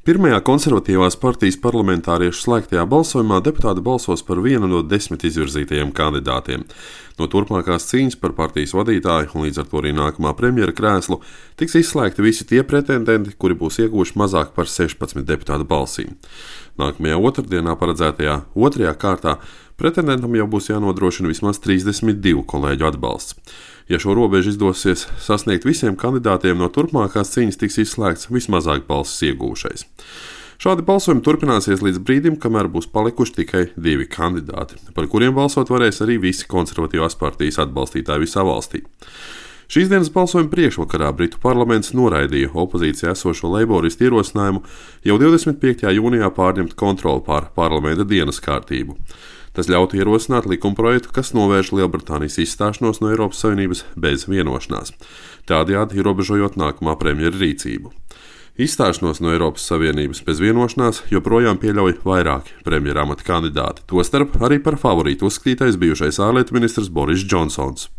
Pirmajā konservatīvās partijas parlamentāriešu slēgtajā balsojumā deputāti balsos par vienu no 10 izvirzītajiem kandidātiem. No turpmākās cīņas par partijas vadītāju un līdz ar to arī nākamā premjera krēslu tiks izslēgti visi tie pretendenti, kuri būs ieguvuši mazāk par 16 deputātu balsīm. Nākamajā otrdienā paredzētajā otrajā kārtā pretendentam jau būs jānodrošina vismaz 32 kolēģu atbalsts. Ja šo robežu izdosies sasniegt visiem kandidātiem, no turpmākās cīņas tiks izslēgts vismazāk balsis iegūšais. Šādi balsojumi turpināsies līdz brīdim, kamēr būs palikuši tikai 2 kandidāti, par kuriem balsot varēs arī visi konservatīvās partijas atbalstītāji visā valstī. Šīs dienas balsojuma priekšvakarā Britu parlaments noraidīja opozīcijā esošo leiboristu ierosinājumu jau 25. jūnijā pārņemt kontroli pār parlamenta dienas kārtību. Tas ļautu ierosināt likumprojektu, kas novērš Lielbritānijas izstāšanos no Eiropas Savienības bez vienošanās, tādējādi ierobežojot nākamā premjera rīcību. Izstāšanos no Eiropas Savienības bez vienošanās joprojām pieļauj vairāki premjera amata kandidāti, tostarp arī par favorītu uzskatītais bijušais ārlietu ministrs Boris Džonsons.